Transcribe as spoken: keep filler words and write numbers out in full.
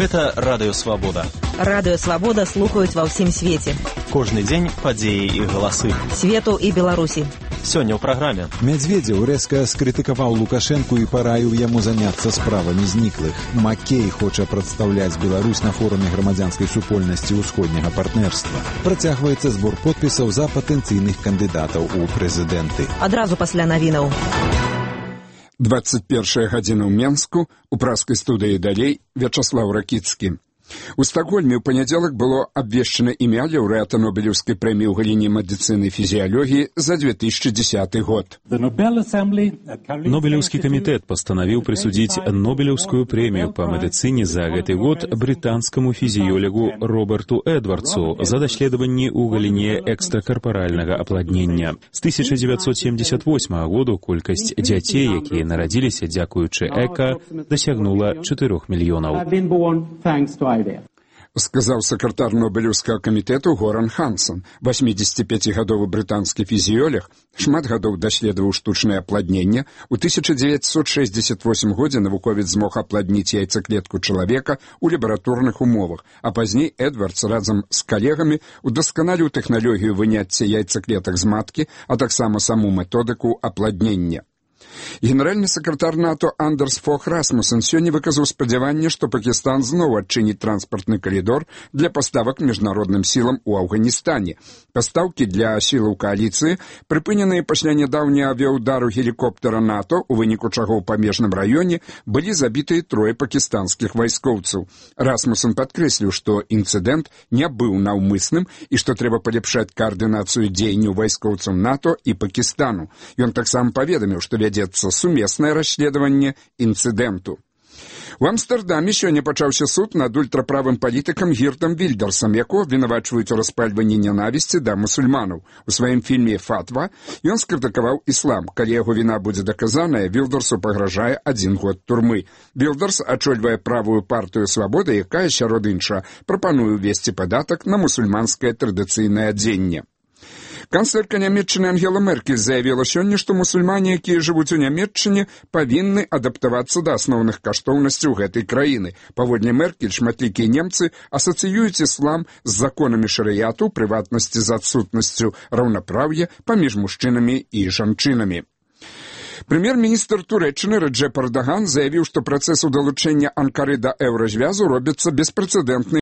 Гэта Радыё Свабода. Радыё Свабода слухаюць ва ўсім свеце. Кожны дзень падзеі і галасы. Свету і Беларусі. Сёння ў праграме. Медведзеў рэзка скрытыкаваў Лукашэнку і параіў яму заняцца справамі зніклых. Маккей хоча прадстаўляць Беларусь на форуме грамадзянскай супольнасці ўсходняга партнерства. Працягваецца збор подпісаў за патэнцыйных кандыдатаў у прэзідэнты. Адразу пасля навінаў. двадцать первая гадзіна ў Менску, у праскай студыі далей Вячаслаў Ракіцкі. У Стакгольме ў панядзелак было абвешчана імя лаўрэата Нобелеўскай прэміі ў галіне медыцыны і фізіялогіі за две тысячи десятый год. Нобелеўскі камітэт пастанавіў прысудзіць Нобелеўскую прэмію па медыцыне за гэты год брытанскаму фізіёлегу Роберту Эдвардсу за даследаванні ў галіне экстракарпаральнага апладнення. З тысяча дзевяцьсот семьдесят восьмага году колькасць дзяцей, якія нарадзіліся дзякуючы эка, дасягнула чатырох мільёнаў. Сказаў сакратар Нобелеўскага камітэту Горан Хансон. восьмидесятипятигадовы брытанскі фізіёлег, шмат гадоў даследаваў штучнае апладненне. У тысяча дзевяцьсот шэсцьдзесят восьмым годзе навуковец змог апладніць яйцаклетку чалавека ў лабараторных умовах, а пазней Эдвардс разам з калегамі удасканаліў тэхналогію выняцця яйцаклетак з маткі, а таксама саму методыку апладнення. Генеральны сакратар НАТО Андерс Фог Расмуссен сёння выказаў спадзяванне, што Пакістан зноў адчыніць транспартны калідор для паставак міжнародным сілам у Афганістане. Пастаўкі для сілаў кааліцыі прыпыненыя пасля нядаўняга авіяўдару гелікоптера НАТО, у выніку чаго ў памежным раёне былі забітыя трое пакістанскіх вайскоўцаў. Расмуссен падкрэсліў, што інцыдэнт не быў наўмысным і што трэба палепшаць каардынацыю дзеянняў вайскоўцаў НАТО і Пакістану. Ён таксама паведаміў, што вядзецца сумеснае расследаванне інцыдэнту. У Амстэрдаме сёння пачаўся суд над ультраправым палітыкам Гіртам Вільдерсам, якого абвінавачваюць у распальванні нянавісці да мусульманаў. У сваім фільме «Фатва» ён скрытыкаваў іслам. Калі яго віна будзе даказаная, Вільдерсу пагражае адзін год турмы. Вільдерс ачольвае правую партыю «Свабода», якая, сярод іншага, прапануе ўвесці падатак на мусульманскае традыцыйнае адзенне. Канцлерка Нямецчыны Ангела Меркель заявіла сёння, што мусульмане, якія жывуць у Нямецчыне, павінны адаптавацца да асноўных каштоўнасцяў гэтай краіны. Паводле Меркель, шматлікія немцы асацыююць іслам з законамі шарыяту, прыватнасці з адсутнасцю раўнапраўя паміж мужчынамі і жанчынамі. Прэм'ер-міністр Турэччыны Рэджэп Эрдаган заявіў, што працэс удалучэння Анкары да еўразвязу робіцца беспрэцэдэнтнай